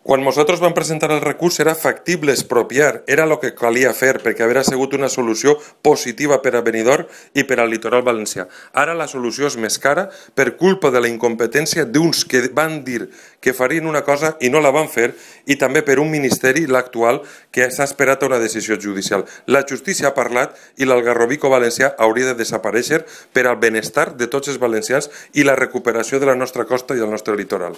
Quan nosaltres vam presentar el recurs era factible expropiar, era el que calia fer perquè hauria sigut una solució positiva per a Benidorm i per al litoral valencià. Ara la solució és més cara per culpa de la incompetència d'uns que van dir que farien una cosa i no la van fer i també per un ministeri, l'actual, que s'ha esperat a una decisió judicial. La justícia ha parlat i l'Algarrobico valencià hauria de desaparèixer per al benestar de tots els valencians i la recuperació de la nostra costa i del nostre litoral.